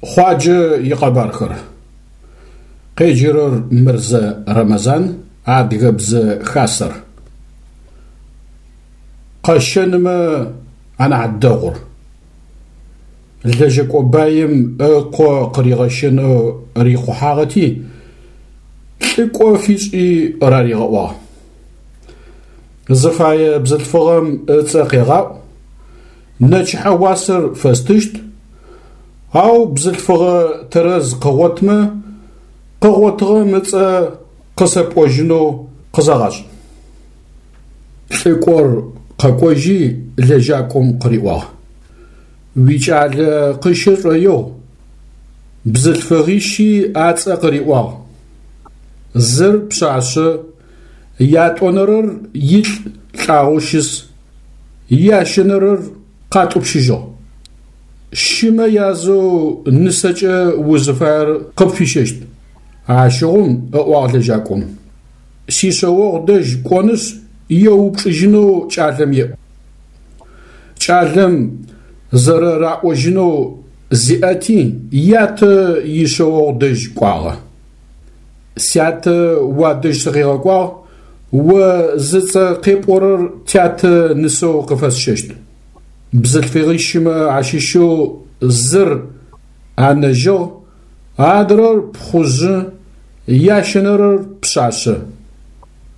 Хъуаджэ икъэбархэр. Къеджэрэр Мырзэ Рэмэзан, Адыгэбзэ Хасэр. Къэщэнымэ анахь дэгъур. Лэжьэкӏо баим ыкъо къыригъэщэнэу рихъухьагъэти, лӏыкӏо фишӏи раригъэӏуагъ. Зыфае бзылъфыгъэм ыцӏэ къегъаӏу, нэчыхьэ уасэр фэстыщт, ау бзылъфыгъэ тэрэз къыгъотмэ, къыгъотыгъэм ыцӏэ къысэпӏожьынэу къызэгъашӏ. Лӏыкӏор къэкӏожьи лэжьакӏом къыриӏуагъ: Уикӏалэ къыщэ шӏоигъу. Бзылъфыгъищи ацӏэ къыриӏуагъ. Зыр пшъашъэ, ятӏонэрэр илӏ лӏагъэу щыс, ящэнэрэр къатӏупщыжьыгъ. Щымэ язэу нысэкӏэ узыфаер къыпфищэщт. Ащыгъум, ыӏуагъ лэжьакӏом, сишъэогъу дэжь кӏонышъ еупчӏыжьынэу кӏалэм еӏу. Кӏалэм зэрэраӏожьынэу зиӏэти, ятэ ишъэогъу дэжь кӏуагъэ. Сятэ уадэжь сыкъигъэкӏуагъ, о зыцӏэ къепӏорэр тятэ нысэу къыфэсщэщт. Бзылъфыгъищымэ ащыщэу зыр анэжьыгъ, адрэр пхъужъы, ящэнэрэр пшъашъэ.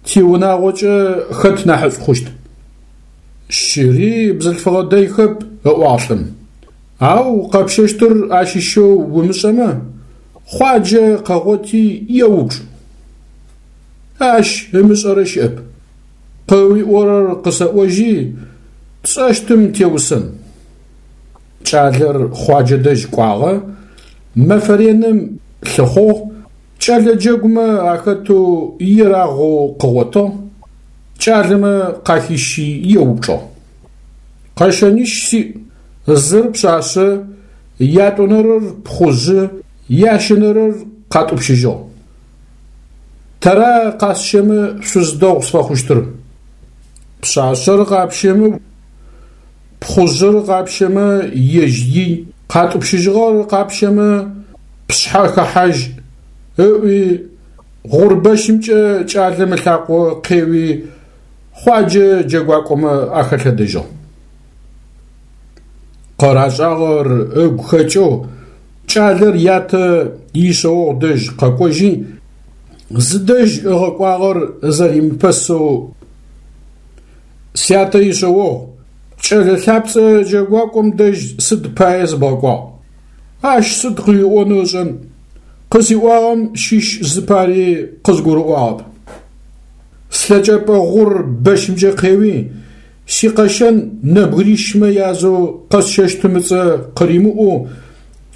Тиунагъокӏэ хэт нахьышӏу хъущт? Щыри бзылъфыгъэ дэйхэп, ыӏуагъ лӏым. Ау къэпщэщтыр ащыщэу умышӏэмэ, Хъуаджэ къэгъоти еупчӏ. Ащ ымышӏэрэ щыӏэп. Къыуиӏорэр къысэӏожьи, тшӏэщтым теусэн. Кӏалэр Хъуаджэ дэжь кӏуагъэ, мэфэ реным лъыхъугъ, кӏэлэ джэгумэ ахэтэу ерагъэу къыгъотыгъ, кӏалэмэ къахищи еупчӏыгъ. Къэщэнищ сиӏ, зыр пшъашъэ, ятӏонэрэр пхъужъы, ящэнэрэр къатӏупщыжьыгъ. Тэра къасщэмэ шъуз дэгъу сфэхъущтыр? Пшъашъэр къапщэмэ, пхъужъыр къапщэмэ ежь ий, къатӏупщыжьыгъэр къапщэмэ пшъхьэ хэхьажь, ыӏуи, гъурбэщымкӏэ кӏалэм ылъакъо къеуи, Хъуаджэ джэгуакӏомэ ахэлъэдэжьыгъ. Къырашӏагъэр ыгу хэкӏэу кӏалэр ятэ ишъэогъу дэжь къэкӏожьи, зыдэжь ыгъэкӏуагъэр зэримыпэсэу Сятэ ишъэогъу, кӏэлэ лъапцӏэ джэгуакӏом дэжь сыд пае сыбгъэкӏуагъ? Ащ сыд къыуиӏонэу ышӏэн? Къысиӏуагъэм щыщ зыпари къызгурыӏуагъэп. Слъэкӏэпӏэ гъур бэщымкӏэ къеуи, сикъэщэн нэбгырищмэ язэу къэсщэщтым ыцӏэ къыримыӏоу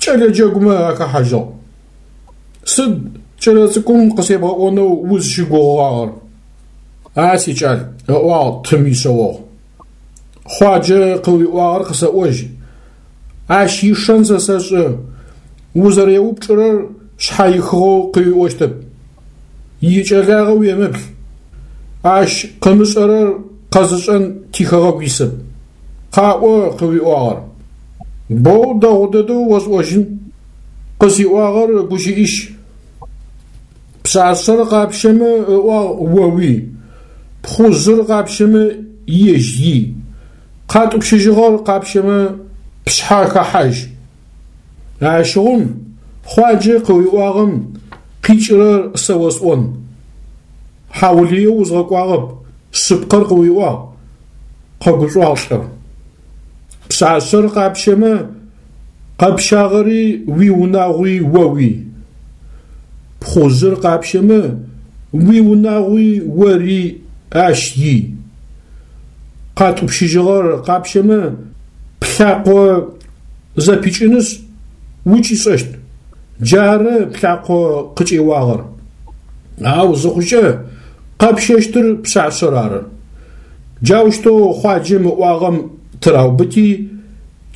кӏэлэ джэгумэ ахэхьажьыгъ. Сыд кӏэлэцӏыкӏум къысебгъэӏонэу узщыгугъыгъагъэр? А сикӏал, ыӏуагъ тым ишъэогъу. Хъуаджэ къыуиӏуагъэр къысэӏожь. Ащ ишэн сэ сэшӏэ, узэреупчӏырэр шъхьаихыгъэу къыуиӏощтэп. Икӏэлагъэ уемыплъ. Ащ къымышӏэрэр къэзышӏэн тихэгъэгу исэп. Къаӏо къыуиӏуагъэр. Боу дэгъу дэдэу осӏожьын. Къысиӏуагъэр гущыӏищ. Пшъашъэр къапщэмэ, ыӏуагъ, оуий, пхъужъыр къапщэмэ, ежь ий, къатӏупщыжьыгъэр къапщэмэ, пшъхьэ хэхьажь. Ащыгъум Хъуаджэ къыуиӏуагъэм къикӏырэр сэ осӏон. Хьаулыеу узгъэкӏуагъэп, шъыпкъэр къыуиӏуагъ, къэгушӏуагъ лӏыр. Пшъашъэр къапщэмэ, къэпщагъэри уиунагъуи оуий. Пхъужъыр къапщэмэ, уиунагъуи ори ащ ий. Къатӏупщыжьыгъэр къапщэмэ, плъакъо зэпикӏынышъ, укӏишӏэщт. Джары плъакъо къыкӏеуагъэр. Ау зыхъукӏэ, къэпщэщтыр пшъашъэр ары. Джаущтэу Хъуаджэм ыӏуагъэм тыраубыти,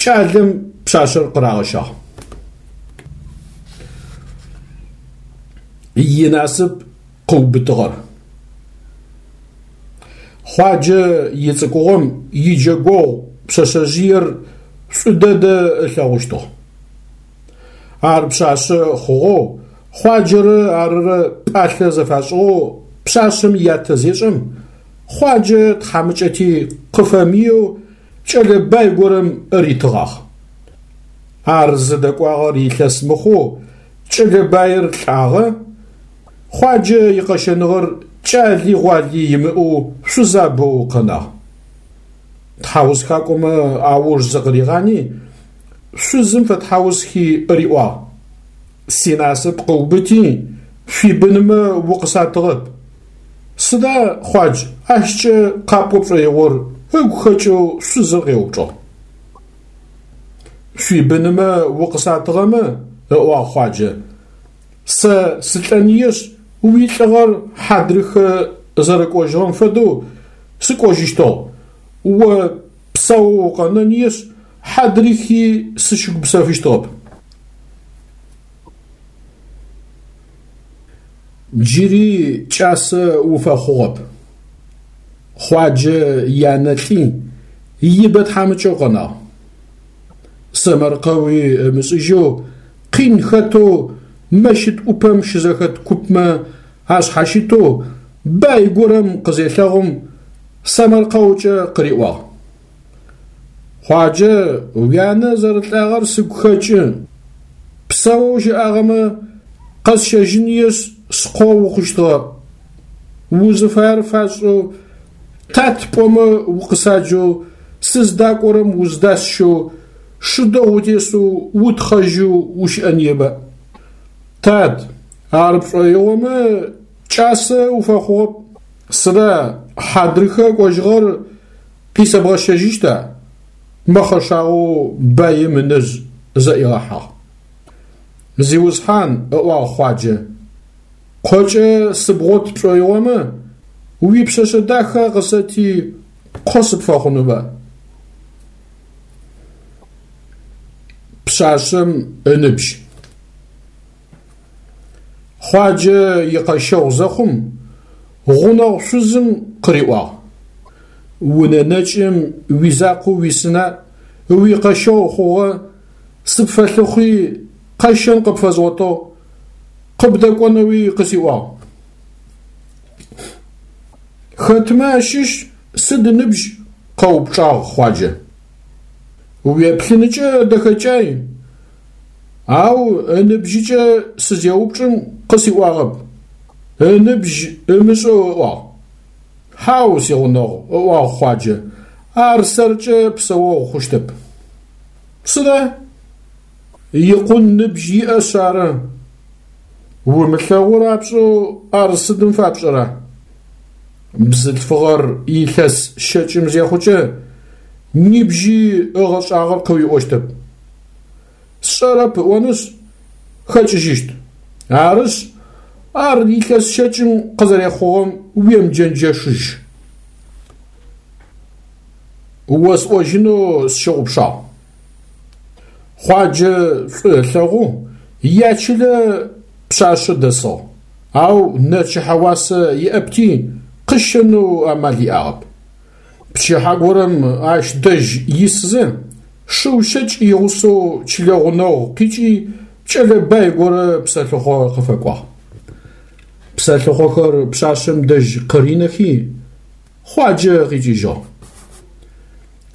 кӏалэм пшъашъэр къырагъэщагъ. Инасып къыубытыгъэр. Хъуаджэ ицӏыкӏугъом иджэгогъу пшъэшъэжъыер шӏу дэдэ ылъэгъущтыгъ. Ар пшъашъэ хъугъэу, Хъуаджэрэ арырэ пӏалъэ зэфашӏыгъэу пшъашъэм ятэ зешӏэм, Хъуаджэ тхьамыкӏэти къыфэмыеу кӏэлэ бай горэм ритыгъагъ. Ар зыдэкӏуагъэр илъэс мыхъоу кӏэлэ баир лӏагъэ, Хъуаджэ икъэщэныгъэр кӏали гъуали имыӏэу шъузабэу къэнагъ. Тхьаусхакӏомэ ауж зыкъыригъани, шъузым фэтхьаусхи риӏуагъ: Синасып къыубыти, шъуибынмэ укъысатыгъэп. Сыда, Хъуадж, ащкӏэ къапӏо пшӏоигъор? ыгу хэкӏэу шъузыр къеупчӏыгъ. Шъуибынмэ укъысатыгъэмэ, ыӏуагъ Хъуаджэ, сэ сылӏэныешъ, уилӏыгъэр хьадрыхэ зэрэкӏожьыгъэм фэдэу сыкӏожьыщтыгъ, о псаоу укъэнэныешъ, хьадрыхи сыщыгупсэфыщтыгъэп. Джыри кӏасэ уфэхъугъэп. Хъуаджэ янэ лӏи, ибэ тхьамыкӏэу къэнагъ. Сэмэркъэуи ымышӏыжьэу, къин хэтэу мэщыт ӏупэм щызэхэт купмэ ашъхьащытэу бай горэм къызелъэгъум, сэмэркъэукӏэ къыриӏуагъ. Хъуаджэ, уянэ зэрэлӏагъэр сыгу хэкӏы. Псэоу щыӏагъэмэ, къэсщэжьыныешъ, скъо ухъущтыгъэ. Узыфаер фасшӏэу, тат пӏомэ укъысаджэу, сыздакӏорэм уздасщэу, шы дэгъу утесэу утхъэжьэу ущыӏэныеба? Тат, ар пшӏоигъомэ, кӏасэ уфэхъугъэп. Сыда хьадрыхэ кӏожьыгъэр Къисэбгъэщэжьыщта? Мэхъэшагъоу баим ынэжъ зэӏигъэхьагъ. Зиусхьан, ыӏуагъ Хъуаджэ, къокӏэ сыбгъот пшӏоигъомэ, уипшъэшъэ дахэ къысэти, къо сыпфэхъунба? Пшъашъэм ыныбжь. Хъуаджэ икъэщэгъу зэхъум, гъунэгъу шъузым къыриӏуагъ: Унэ нэкӏым уизакъоу уисына, уикъэщэгъу хъугъэ, сыпфэлъыхъуи, къэщэн къыпфэзгъотыгъ, къыбдэкӏонэуи къысиӏуагъ. Хэтмэ ащыщ сыд ыныбжь? къэупчӏагъ Хъуаджэ. Уеплъыныкӏэ дэхэкӏай, ау ыныбжьыкӏэ сызеупчӏым къысиӏуагъэп, ыныбжь ымышӏэу ыӏуагъ. Хьау, сигъунэгъу, ыӏуагъ Хъуаджэ, ар сэркӏэ псэогъу хъущтэп. Сыда? Икъун ныбжь иӏэшъ ары. Умылъэгъу рапшӏэу ар сыдым фапшӏэра? Бзылъфыгъэр илъэс щэкӏым зехъукӏэ, нибжьи ыгъэшӏагъэр къыуиӏощтэп. Сшӏэрэп ыӏонышъ, хэкӏыжьыщт. Арышъ, ар илъэс щэкӏым къызэрехъугъэм уемыджэнджэшыжь. Осӏожьынэу сщыгъупшагъ. Хъуаджэ шӏу ылъэгъоу ячылэ пшъашъэ дэсыгъ, ау нэчыхьэ уасэ иӏэпти, къыщэнэу амал иӏагъэп. Пчыхьэ горэм ащ дэжь исызэ, шыу щэкӏ игъусэу чылэ гъунэгъу къикӏи кӏэлэ бай горэ псэлъыхъо къыфэкӏуагъ. Псэлъыхъохэр пшъашъэм дэжь къыринэхи, Хъуаджэ къикӏыжьыгъ.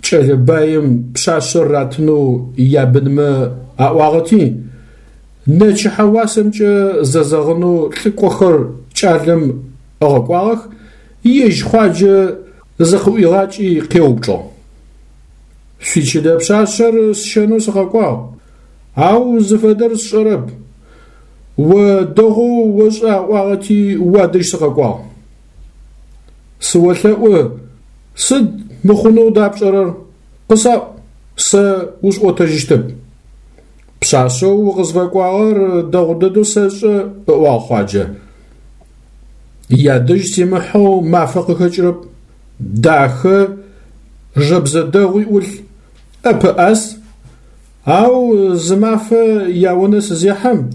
Кӏэлэ баим пшъашъэр ратынэу ябынмэ аӏуагъэти, нэчыхьэ уасэмкӏэ зэзэгъынэу лӏыкӏохэр кӏалэм ыгъэкӏуагъэх, ежь Хъуаджэ зыкъыӏуигъакӏи къеупчӏыгъ. Шъуичылэ пшъашъэр сщэнэу сыкъэкӏуагъ, ау зыфэдэр сшӏэрэп. О дэгъоу ошӏэ аӏуагъэти уадэжь сыкъэкӏуагъ. Сыолъэӏу, сыд мыхъунэу дапшӏэрэр? Къысаӏу, сэ усӏотэжьыщтэп. Пшъашъэу укъызфэкӏуагъэр дэгъу дэдэу сэшӏэ, ыӏуагъ Хъуаджэ. Ядэжь симыхьэу мафэ къыхэкӏырэп. Дахэ, жэбзэ дэгъуи ӏулъ, ӏэпэӏас. Ау зы мафэ яунэ сызехьэм,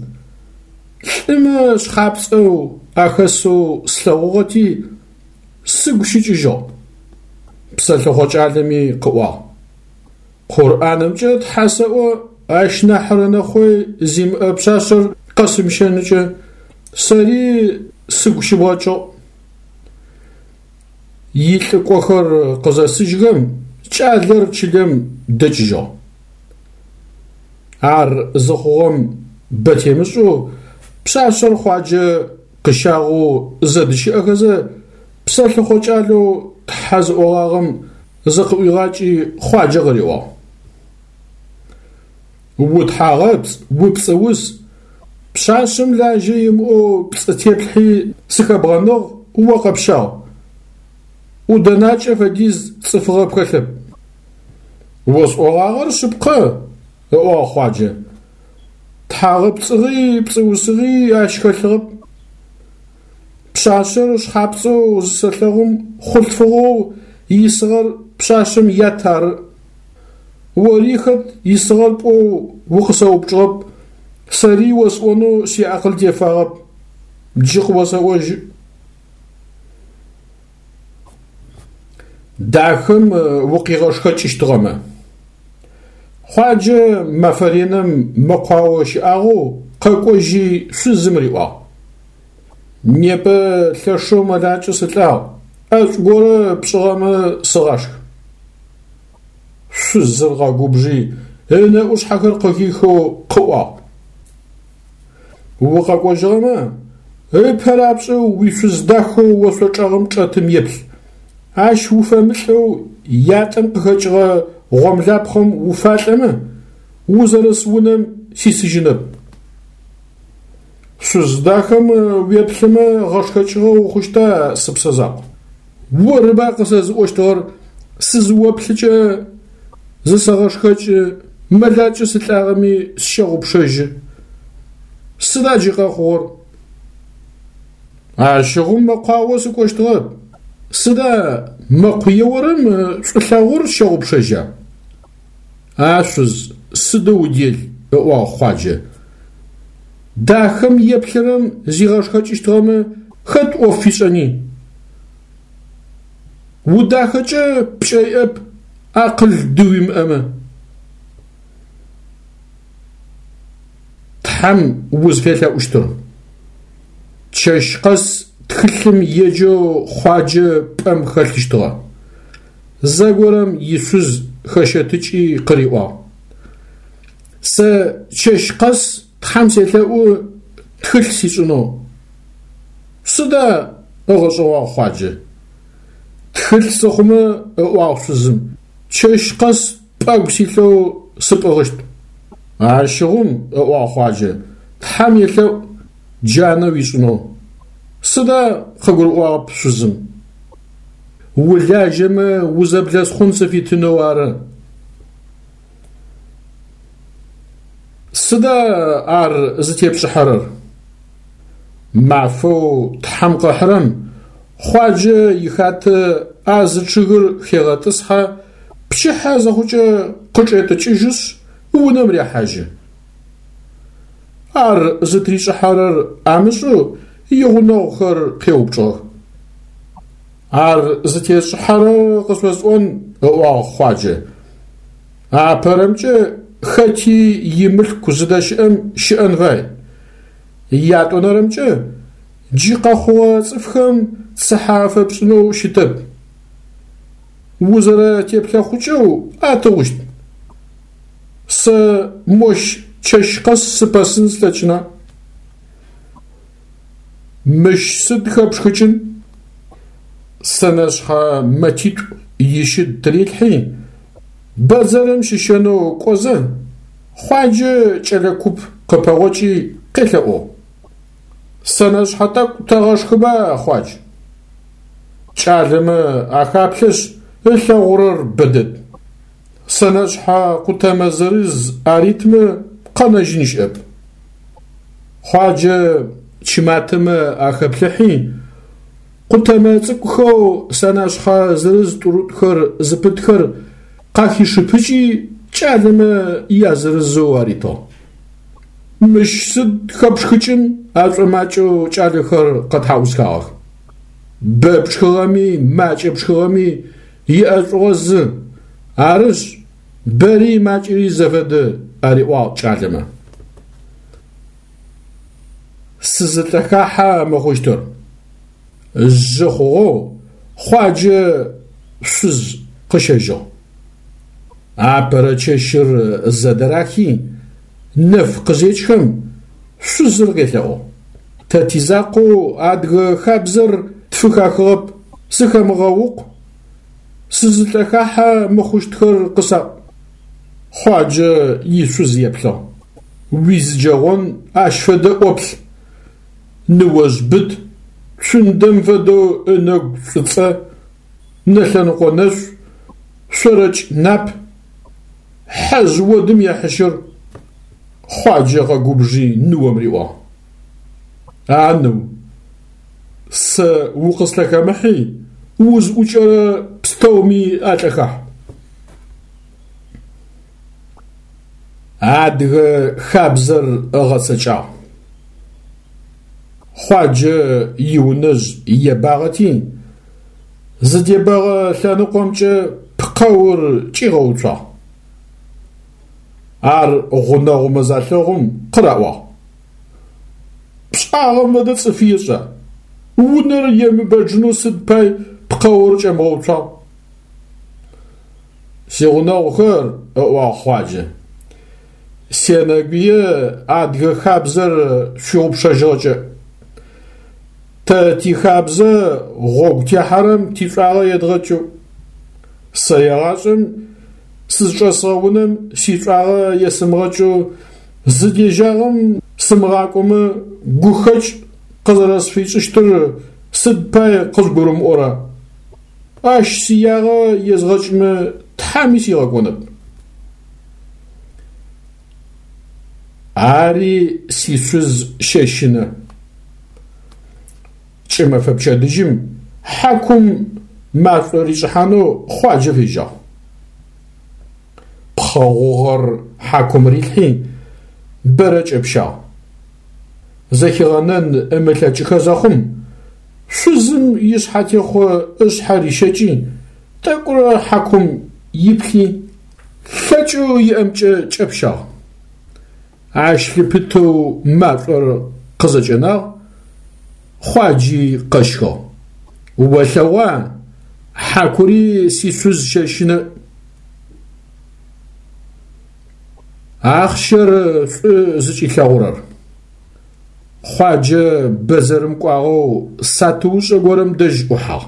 лӏымэ шъхьапцӏэу ахэсэу слъэгъугъэти, сыгу щыкӏыжьыгъ. Псэлъыхъо кӏалэми къыӏуагъ. Къурӏанымкӏэ Тхьэ сэӏо, ащ нахьрэ нэхъой зимыӏэ пшъашъэр къэсымыщэныкӏэ сэри сыгу щыбгъэкӏыгъ. Илӏыкӏохэр къызэсыжьхэм кӏалэр чылэм дэкӏыжьыгъ. Ар зыхъугъэм бэ темышӏэу пшъашъэр Хъуаджэ къыщагъэу зэдыщыӏэхэзэ, псэлъыхъо кӏалэу Тхьэ зыӏогъагъэм зыкъыӏуигъакӏи Хъуаджэ къыриӏуагъ. Утхьагъэпцӏ, упцӏыус, пшъашъэм лажьэ имыӏэу пцӏы теплъхьи сыхэбгъэныгъ, о къэпщагъ. ӏудэнакӏэ фэдиз цӏыфыгъэ пхэлъэп. Осӏогъагъэр шъыпкъэ, ыӏуагъ Хъуаджэ. Тхьагъэпцӏыгъи пцӏыусыгъи ащ хэлъыгъэп. Пшъашъэр шъхьапцӏэу зысэлъэгъум хъулъфыгъэу исыгъэр пшъашъэм ят ары. Ори хэт исыгъэр пӏоу укъысэупчӏыгъэп, сэри осӏонэу сиакъыл тефагъэп. Джы къыосэӏожьы. Дахэм укъигъэшхэкӏыщтыгъэмэ. Хъуаджэ мэфэ реным мэкъуао щыӏагъэу къэкӏожьи шъузым риӏуагъ. Непэ лъэшэу мэлакӏэ сылӏагъ, ӏэшӏу горэ пшӏыгъэмэ сыгъашх. Шъузыр къэгубжи, ынэӏушъхьэхэр къыхихэу къыӏуагъ. Укъэкӏожьыгъэмэ, ыпэ рапшӏэу уишъуз дахэу ошъо чӏэгъым чӏэтым еплъ. Ащ уфэмылӏэу ятӏэм къыхэкӏыгъэ гъомлапхъэм уфалӏэмэ, узэрыс унэм сисыжьынэп. Шъуз дахэм уеплъымэ гъэшхэкӏыгъэ ухъущта, сыпсэ закъу? Орыба къысэзыӏощтыгъэр сызыоплъыкӏэ зысэгъэшхэкӏы, мэлакӏэ сылӏагъэми сщэгъупшэжьы. Сыда джы къэхъугъэр? Ащыгъум мэкъуао сыкӏощтыгъэп. Сыда мэкъу еорэм шӏулъэгъур щэгъупшэжьа? А шъуз, сыдэу удел, ыӏуагъ Хъуаджэ. Дахэм еплъырэм зигъэшхэкӏыщтыгъэмэ, хэт ӏоф фишӏэни? Удахэкӏэ пкӏэ иӏэп, акъыл дыуимыӏэмэ. Тхьэм узфелъэӏущтыр. Чэщ къэс тхылъым еджэу Хъуаджэ пӏэм хэлъыщтыгъэ. Зэгорэм ишъуз хэщэтыкӏи къыриӏуагъ. Сэ чэщ къэс Тхьэм селъэӏу тхылъ сишӏынэу. Сыда? ыгъэшӏэгъуагъ Хъуаджэ. Тхылъ сыхъумэ, ыӏуагъ шъузым, чэщ къэс пӏэгу силъэу сыпӏыгъыщт. Ащыгъум, ыӏуагъ Хъуаджэ, Тхьэм елъэӏу джанэ уишӏынэу. Сыда? къыгурыӏуагъэп шъузым. Улажьэмэ узэблэсхъун сыфитынэу ары. Сыда ар зытепшӏыхьэрэр? Мафэу Тхьэм къыхьырэм Хъуаджэ ихатэ а зы чъыгыр хегъэтӏысхьэ, пчыхьэ зыхъукӏэ къычӏетӏыкӏыжьышъ, унэм рехьажьы. Ар зытришӏыхьэрэр амышӏэу игъунэгъухэр къеупчӏыгъэх. Ар зытесшӏыхьэрэр къышъосӏон, ыӏуагъ Хъуаджэ. Апэрэмкӏэ хэти имылъку зыдэщыӏэм щыӏэн фай. Ятӏонэрэмкӏэ джы къэхъугъэ цӏыфхэм цыхьэ афэпшӏынэу щытэп. Узэрэтеплъэхъукӏэу атыгъущт. Сэ мощ чэщ къэс сыпэсын слъэкӏына? Мыщ сыд хэпшхыкӏын? Сэнэшъхьэ мэтитӏу ищыд тырилъхьи, бэдзэрым щыщэнэу кӏозэ, Хъуаджэ кӏэлэ куп къыпэгъокӏи къелъэӏугъ. Сэнэшъхьэ тӏэкӏу тэгъэшхыба, Хъуадж? Кӏалэмэ ахаплъэшъ, ылъэгъурэр бэдэд. Сэнэшъхьэ къутэмэ зырыз аритмэ, къэнэжьын щыӏэп. Хъуаджэ чыматэмэ ахэплъыхьи, къутэмэ цӏыкӏухэу сэнэшъхьэ зырыз-тӏурытӏухэр зыпытхэр къахишыпыкӏи, кӏалэмэ язырызэу аритыгъ. Мыщ сыд хэпшхыкӏын, ашӏомакӏэу кӏалэхэр къэтхьаусхагъэх. Бэ пшхыгъэми, макӏэ пшхыгъэми иӏэшӏугъэ зы, арышъ, бэри макӏэри зэфэдэ, ариӏуагъ кӏалэмэ. Сызылӏэхахьэ мыхъущтыр. Жъы хъугъэу Хъуаджэ шъуз къыщэжьыгъ. Апэрэ чэщыр зэдырахи, нэф къызекӏхэм, шъузыр къелъэӏугъ. Тэ тизакъоу адыгэ хабзэр тфыхахыгъэп, сыхэмыгъэукъу, сызылӏэхахьэ мыхъущтхэр къысаӏу. Хъуаджэ ишъуз еплъыгъ. Уизыджэгъон ащ фэдэ ӏоплъ. Ныожъ быт, цундэм фэдэу ынэгу шӏуцӏэ, нэлъэныкъо нэшъу, шъорэкӏ нап, хьэжъ одым ехьыщыр. Хъуаджэ къэгубжи ныом риӏуагъ. А ныу, сэ укъыслъэхэмыхьи, узӏукӏэрэ пстэуми алъэхахь. Адыгэ хабзэр ыгъэцэкӏагъ. Хъуаджэ иунэжъ ебагъэти, зыдебэгъэ лъэныкъомкӏэ пкъэур кӏигъэуцуагъ. Ар гъунэгъумэ залъэгъум къыраӏуагъ. Пшӏагъэм фэдэ цӏыф ешӏа? Унэр емыбэджынэу сыд пай пкъэур кӏэмыгъэуцуагъ? Сигъунэгъухэр, ыӏуагъ Хъуаджэ, сенэгуе адыгэ хабзэр шъущыгъупшэжьыгъэкӏэ. Тэ тихабзэ гъогу техьэрэм тишӏуагъэ едгъэкӏэу. Сэ егъашӏэм сызчӏэсыгъэ унэм сишӏуагъэ есымыгъэкӏэу зыдежьагъэм сымыгъакӏомэ гухэкӏ къызэрэсфишӏыщтыр сыд пай къызгурымыӏора? Ащ сиягъэ езгъэкӏмэ Тхьэми сигъэкӏонэп. Ари сишъуз щэщынэ. Кӏымэфэ пчэдыжьым хьакум машӏо ришӏыхьанэу Хъуаджэ фежьагъ. Пхъэ гъугъэр хьакум рилъхьи, бэрэ кӏэпщагъ. Зэхигъэнэн ымылъэкӏыхэ зэхъум, шъузым ишъхьэтехъо ышъхьэ рищэкӏи, тӏэкӏурэ хьакум иплъи, лъэкӏэу иӏэмкӏэ кӏэпщагъ. Ащ лъыпытэу машӏор къызэкӏэнагъ, Хъуаджи къэщхыгъ. Олъэгъуа, хьакури сишъуз щэщынэ. Ахъщэр шӏу зыкӏилъэгъурэр. Хъуаджэ бэдзэрым кӏуагъэу сатыушӏэ горэм дэжь ӏухьагъ.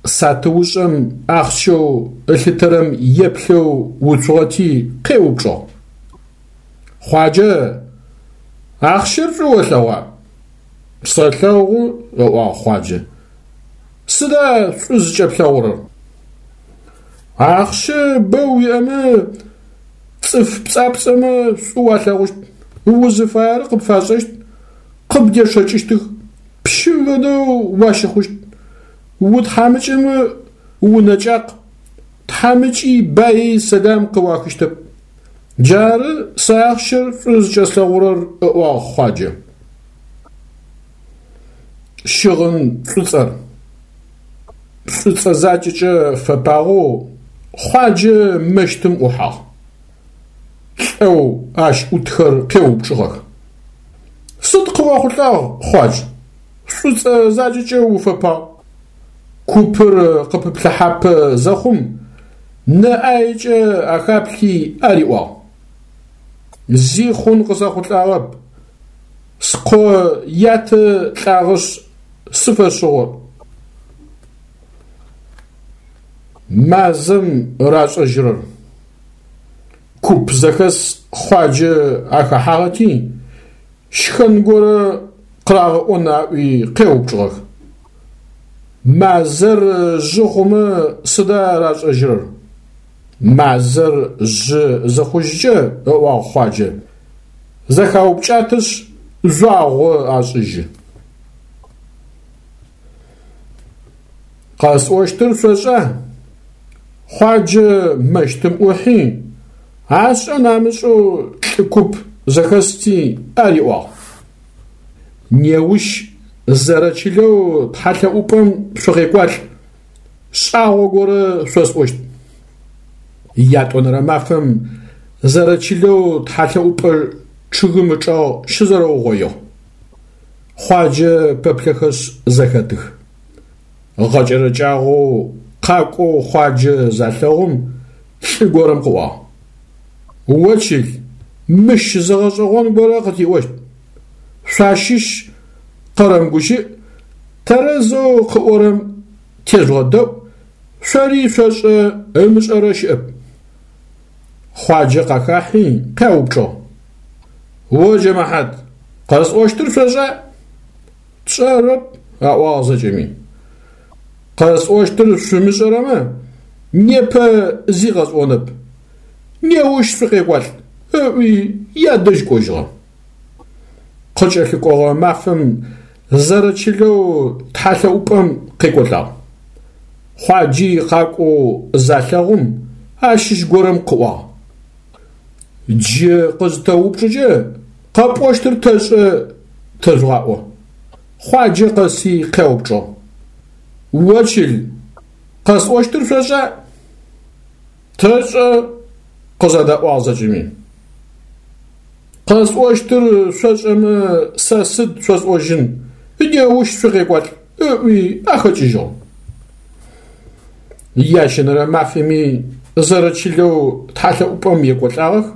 Сатыушӏэм ахъщэу ылъытэрэм еплъэу уцугъэти къеупчӏыгъ. Хъуаджэ, ахъщэр шӏу олъэгъуа? Сэлъэгъу, ыӏуагъ Хъуаджэ. Сыда шӏу зыкӏэплъэгъурэр? Ахъщэ бэ уиӏэмэ, цӏыф пцӏапцӏэмэ шӏу уалъэгъущт, узыфаер къыпфашӏэщт, къыбдечъэкӏыщтых, пщым фэдэу уащыхъущт. Утхьамыкӏэмэ унэкӏакъ, тхьамыкӏи баи сэлам къыуахыщтэп. Джары сэ ахъщэр шӏу зыкӏэслъэгъурэр, ыӏуагъ Хъуаджэ. Щыгъын шӏуцӏэр. Шӏуцӏэ закӏэкӏэ фэпагъэу Хъуаджэ мэщтым ӏухьагъ. Лӏэу ащ ӏутхэр къеупчӏыгъэх. Сыд къыохъулӏагъ, Хъуадж? Шӏуцӏэ закӏэкӏэ уфэпагъ. Купыр къыпыплъыхьапэ зэхъум, нэ ӏаекӏэ ахаплъи ариӏуагъ. Зи хъун къысэхъулӏагъэп. Скъо ятэ лӏагъэшъ, сыфэшъыгъо. Мазэм рашӏэжьырэр. Куп зэхэс Хъуаджэ ахэхьагъэти, щхэн горэ къырагъэӏон аӏуи къеупчӏыгъэх. Мазэр жъы хъумэ сыда рашӏэжьырэр? Мазэр жъы зыхъужькӏэ, ыӏуагъ Хъуаджэ, зэхаупкӏатэшъ, жъуагъо ашӏыжьы. Къэсӏощтыр шъошӏа? Хъуаджэ мэщтым ӏухьи, ашӏэн амышӏэу лӏы куп зэхэсти ариӏуагъ. Неущ зэрэчылэу тхьэлъэӏупӏэм шъукъекӏуалӏ, шӏагъо горэ шъосӏощт. Ятӏонэрэ мафэм зэрэчылэу тхьэлъэӏупӏэ чъыгым ычӏэгъ щызэрэугъоигъ. Хъуаджэ пэплъэхэшъ зэхэтых. Гъэкӏэрэкӏагъэу къакӏоу Хъуаджэ залъэгъум лӏы горэм къыӏуагъ: О чыл, мыщ зы гъэшӏэгъон горэ къытиӏощт. Шъуащыщ къэрэмыгущыӏ, тэрэзэу къыӏорэм тежъугъэдэӏу, шъори шъошӏэ ымышӏэрэ щыӏэп. Хъуаджэ къахахьи къяупчӏыгъ: О джэмэхьат, къэсӏощтыр шъошӏа? Тшӏэрэп, аӏуагъ зэкӏэми. Къэсӏощтыр шъумышӏэрэмэ, непэ зи къэсӏонэп, неущ шъукъекӏуалӏ, ыӏуи ядэжь кӏожьыгъэ. Къыкӏэлъыкӏогъэ мафэм зэрэчылэу тхьэлъэӏупӏэм къекӏолӏагъ. Хъуаджи къакӏоу залъэгъум, ащыщ горэм къыӏуагъ: Джы къызытэупчӏыкӏэ, къэпӏощтыр тэшӏэ тэжъугъаӏо. Хъуаджэ къэси къяупчӏыгъ: О чыл, къэсӏощтыр шъошӏа? Тэшӏэ, къызэдаӏуагъ зэкӏэми. Къэсӏощтыр шъошӏэмэ, сэ сыд шъосӏожьын, неущ шъукъекӏуалӏ, ыӏуи ахэкӏыжьыгъ. Ящэнэрэ мафэми зэрэчылэу тхьэлъэӏупӏэм екӏолӏагъэх,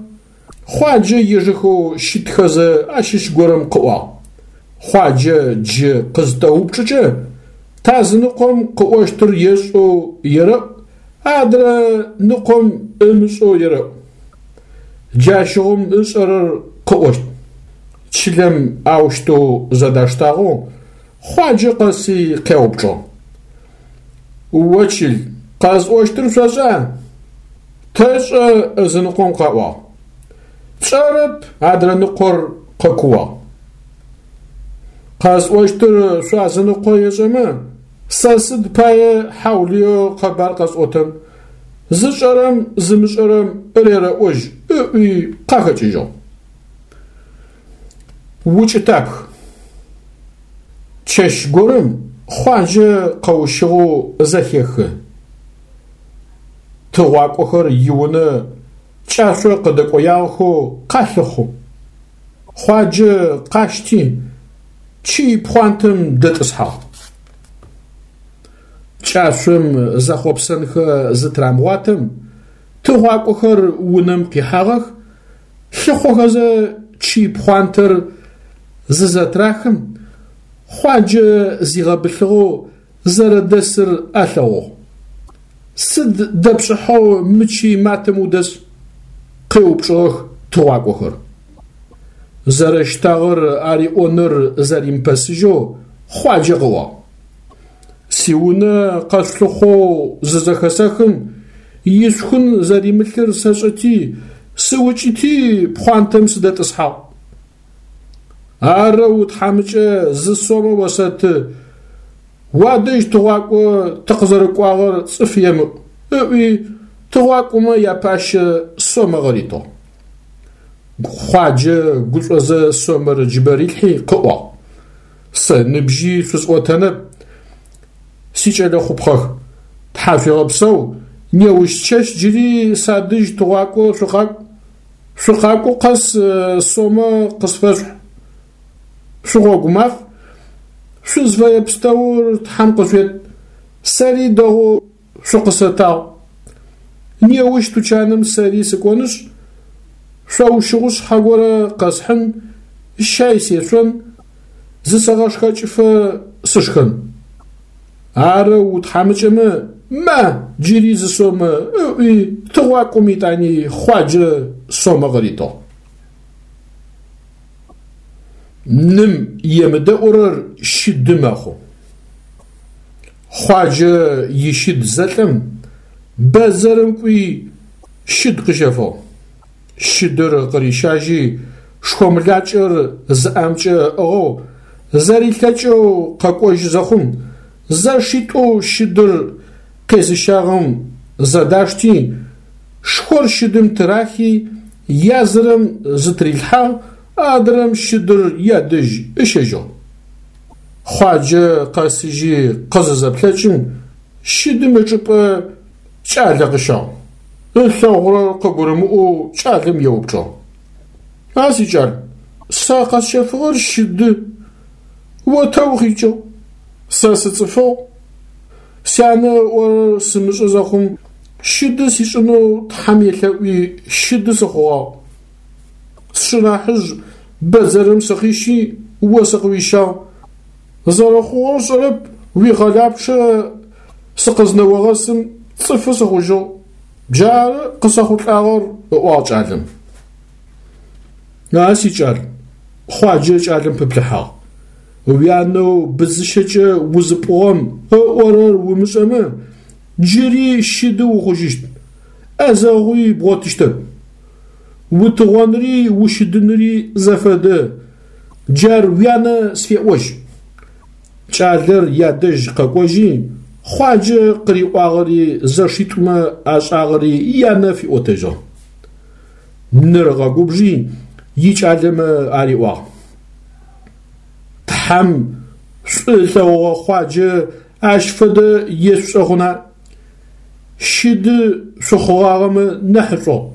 Хъуаджэ ежэхэу щытхэзэ ащыщ горэм къыӏуагъ: Хъуаджэ джы къызытэупчӏыкӏэ, тазыныкъом къыӏощтыр ешӏэу ерэӏу, адрэ ныкъом ымышӏэу ерэӏу. Джащыгъум ышӏэрэр къыӏощт. Чылэм аущтэу зэдаштагъэу Хъуаджэ къэси къяупчӏыгъ: О чыл, къэсӏощтыр шъошӏа? Тэшӏэ, ызыныкъом къаӏуагъ. Тшӏэрэп, адрэ ныкъор къэкууагъ. Къэсӏощтыр шъуазыныкъо ешӏэмэ, сэ сыд пае хьаулыеу къэбар къэсӏотэн, зышӏэрэм зымышӏэрэм рерэӏожь, ыӏуи къахэкӏыжьыгъ. Укӏытапх. Чэщ горэм Хъуаджэ къэущыгъэу зэхехы. Тыгъуакӏохэр иунэ кӏашъо къыдэкӏоягъэхэу къалъыхъу. Хъуаджэ къащти, чый пхъуантэм дэтӏысхьагъ. Кӏашъом зэхъопсэнхэ зытырамыгъуатэм, тыгъуакӏохэр унэм къихьагъэх, лъыхъохэзэ чый пхъуантэр зызэтрахым, Хъуаджэ зигъэбылъыгъэу зэрэдэсыр алъэгъугъ. Сыд дэпшӏыхьэу мы чый матэм удэс? къеупчӏыгъэх тыгъуакӏохэр. Зэрэщтагъэр ариӏоныр зэримыпэсыжьэу Хъуаджэ къыӏуагъ. Сиунэ къэшъулъыхъоу зызэхэсэхым, ишъухын зэримылъыр сэшӏэти, сыукӏыти пхъуантэм сыдэтӏысхьагъ. Арэу утхьамыкӏэ зы сомэ осэты, уадэжь тыгъуакӏо тыкъызэрыкӏуагъэр цӏыф емыӏу, ыӏуи тыгъуакӏомэ япащэ сомэ къыритыгъ. Хъуаджэ гушӏозэ сомэр ыджыбэ рилъхьи къыӏуагъ. Сэ ныбжьи шъусӏотэнэп, сикӏэлэ хъупхъэх. Тхьашъуегъэпсэу, неущчэщ джыри садэжь тыгъуакӏо шъукъакӏу. Шъукъакӏо къэс сомэ къысфэшъухь. Шъугъогу маф, шъузфэе пстэур Тхьэм къышъует, сэри дэгъоу шъукъысэтагъ. Неущ тучаным сэри сыкӏонышъ, шъоущыгъушъхьэ горэ къэсхьын, щай сешъон, зысэгъэшхэкӏыфэ сышхэн. Арэу утхьамыкӏэмэ, ма, джыри зы сомэ, ыӏуи, тыгъуакӏом етӏани Хъуаджэ сомэ къыритыгъ. Ным емыдэӏурэр щыды мэхъу. Хъуаджэ ищыд зэлӏэм, бэдзэрым кӏуи щыд къыщэфыгъ. Щыдыр къырищажьи, шхомлакӏэр зы ӏэмкӏэ ыӏыгъэу, зэрилъэкӏэу къэкӏожьы зэхъум, зэшитӏоу щыдыр къезыщагъэм зэдашти, шхор щыдым тырахи, язырэм зытырилъхьагъ, адрэм щыдыр ядэжь ыщэжьыгъ. Хъуаджэ къэсыжьи къызызэплъэкӏым, щыдым ычӏыпӏэ кӏалэ къыщагъ. ылъэгъурэр къыгурымыӏоу кӏалэм еупчӏыгъ. А сикӏал, сэ къэсщэфыгъэр щыды, о тэ укъикӏыгъ? Сэ сыцӏыфыгъ. Сянэ ыӏорэр сымышӏэ зэхъум, щыды сишӏынэу Тхьэм елъэӏуи щыды сыхъугъагъ. Сшынахьыжъ бэдзэрым сыкъищи, о сыкъыуищагъ. Зэрэхъугъэр сшӏэрэп, уикъэлапчъэ сыкъызнэогъэсым цӏыфы сыхъужьыгъ. Джары къысэхъулӏагъэр, ыӏуагъ кӏалэм. А сикӏал, Хъуаджэ кӏалэм пыплъыхьагъ. Уянэу быдзыщэкӏэ узыпӏугъэм ыӏорэр умышӏэмэ, джыри щыды ухъужьыщт, ӏэзэгъуи бгъотыщтэп. Утыгъонри ущыдынри зэфэдэ, джар уянэ сфеӏожь. Кӏалэр ядэжь къэкӏожьи, Хъуаджэ къыриӏуагъэри зэшитӏумэ ашӏагъэри янэ фиӏотэжьыгъ. Ныр ыгъэгубжи, икӏалэмэ ариӏуагъ. Тхьэм шӏу ылъэгъугъэ Хъуаджэ ащ фэдэ ешъушӏэ хъуна? Щыды шъухъугъагъэмэ нахьышӏугъ.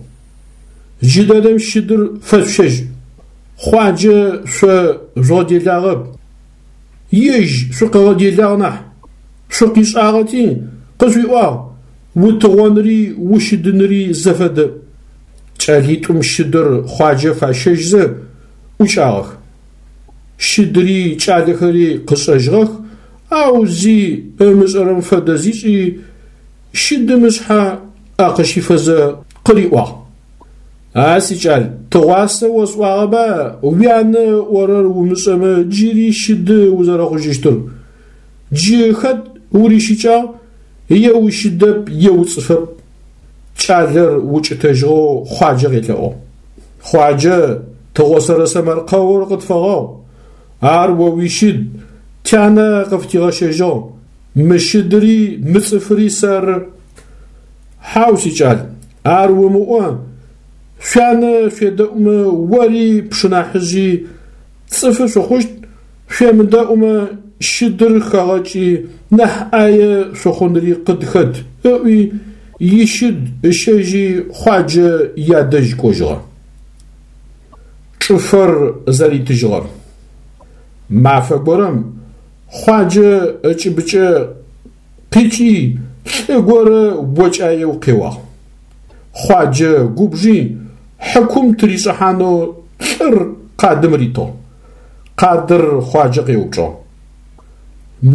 Джыдэдэм щыдыр фэшъущэжь. Хъуаджэ шъо жъугъэделагъэп, ежь шъукъыгъэделагъ нахь. Шъукъишӏагъэти, къышъуиӏуагъ, утыгъонри ущыдынри зэфэдэ. Кӏэлитӏум щыдыр Хъуаджэ фащэжьзэ ӏукӏагъэх. Щыдыри кӏалэхэри къышӏэжьыгъэх, ау зи ымышӏэрэм фэдэ зишӏи, щыдым ышъхьэ ӏэ къыщифэзэ къыриӏуагъ. А сикӏал, тыгъуасэ осӏуагъэба уянэ ыӏорэр умышӏэмэ джыри щыды узэрэхъужьыщтыр? Джы хэт урищыкӏагъ, е ущыдэп, е уцӏыфэп. Кӏалэр укӏытэжьыгъэу Хъуаджэ къелъэӏугъ. Хъуаджэ, тыгъосэрэ сэмэркъэур къытфэгъэгъу. Ар о уищыд, тянэ къыфытигъэщэжьыгъ. Мы щыдыри мы цӏыфыри сэры. Хьау, сикӏал, ар умыӏо, шъуянэ шъуедэӏумэ ори пшынахьыжъи цӏыфы шъухъущт, шъуемыдэӏумэ щыдыр хэгъэкӏи нахь ӏае шъухъунри къыдхэт, ыӏуи, ищыд ыщэжьи Хъуаджэ ядэжь кӏожьыгъэ. Чӏыфэр зэритыжьыгъэр. Мафэ горэм Хъуаджэ ыкӏыбыкӏэ къикӏи лӏы горэ окӏаеу къеуагъ. Хъуаджэ губжи хьыкум тыришӏыхьанэу лӏыр къадым ритыгъ. Къадыр Хъуаджэ къеупчӏыгъ.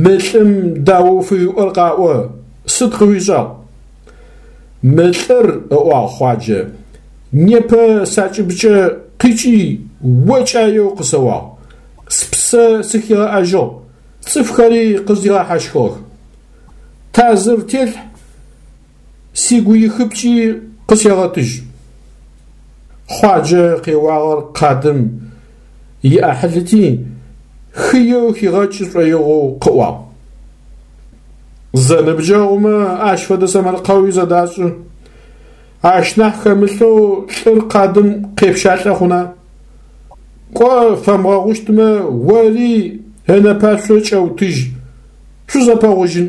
Мы лӏым даоу фыуиӏэр къаӏо, сыд къыуишӏагъ? Мы лӏыр, ыӏуагъ Хъуаджэ, непэ сакӏыбыкӏэ къикӏи окӏаеу къысэуагъ, спсэ сыхигъэӏэжьыгъ, цӏыфхэри къыздигъэхьащхыгъэх. Тазыр телъхь, сигуихыпкӏи къысегъэтыжь. Хъуаджэ къеуагъэр къадым иӏахьылыти, хыеу хигъэкӏы шӏоигъоу къыӏуагъ. Зэныбджэгъумэ ащ фэдэ сэмэркъэуи зэдашӏы. Ащ нахь хэмылъэу лӏыр къадым къепщалӏэ хъуна? Кӏо, фэмыгъэгъущтмэ, ори ынэпашъо кӏэутыжь, шъузэпэгъужьын.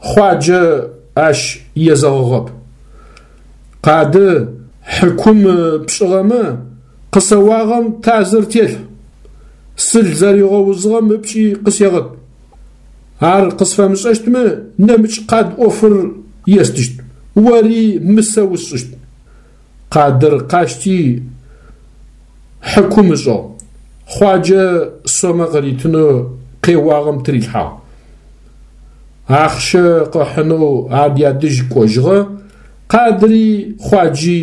Хъуаджэ ащ езэгъыгъэп. Къады хьыкум пшӏыгъэмэ, къысэуагъэм тазыр телъхь, сыл зэригъэузыгъэм ыпкӏи къысегъэт. Ар къысфэмышӏэщтмэ, нэмыкӏ къад ӏофыр естыщт, ори мысэ усшӏыщт. Къадыр къащти, хьыкум ышӏыгъ. Хъуаджэ сомэ къыритынэу къеуагъэм тырилъхьагъ. Ахъщэ къыхьынэу ар ядэжь кӏожьыгъэ, къадыри Хъуаджи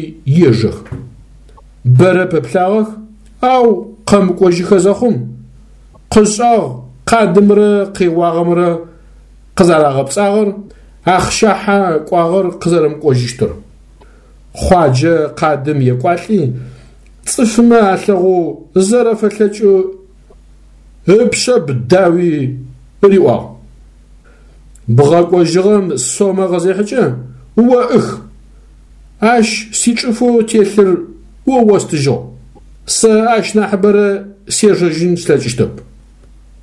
ежэх. Бэрэ пэплъагъэх, ау къэмыкӏожьыхэ зэхъум, къышӏагъ къадымрэ къеуагъэмрэ къызэрагъэпцӏагъэр, ахъщахьэ кӏуагъэр къызэрэмыкӏожьыщтыр. Хъуаджэ къадым екӏуалӏи, цӏыфмэ алъэгъоу зэрэфэлъэкӏэу ыпшъэб дауи риӏуагъ. Бгъэкӏожьыгъэм сомэ къызехьыкӏэ, о ӏых, ащ сичӏыфэу телъыр о остыжьыгъ, сэ ащ нахьыбэрэ сежэжьын слъэкӏыщтэп.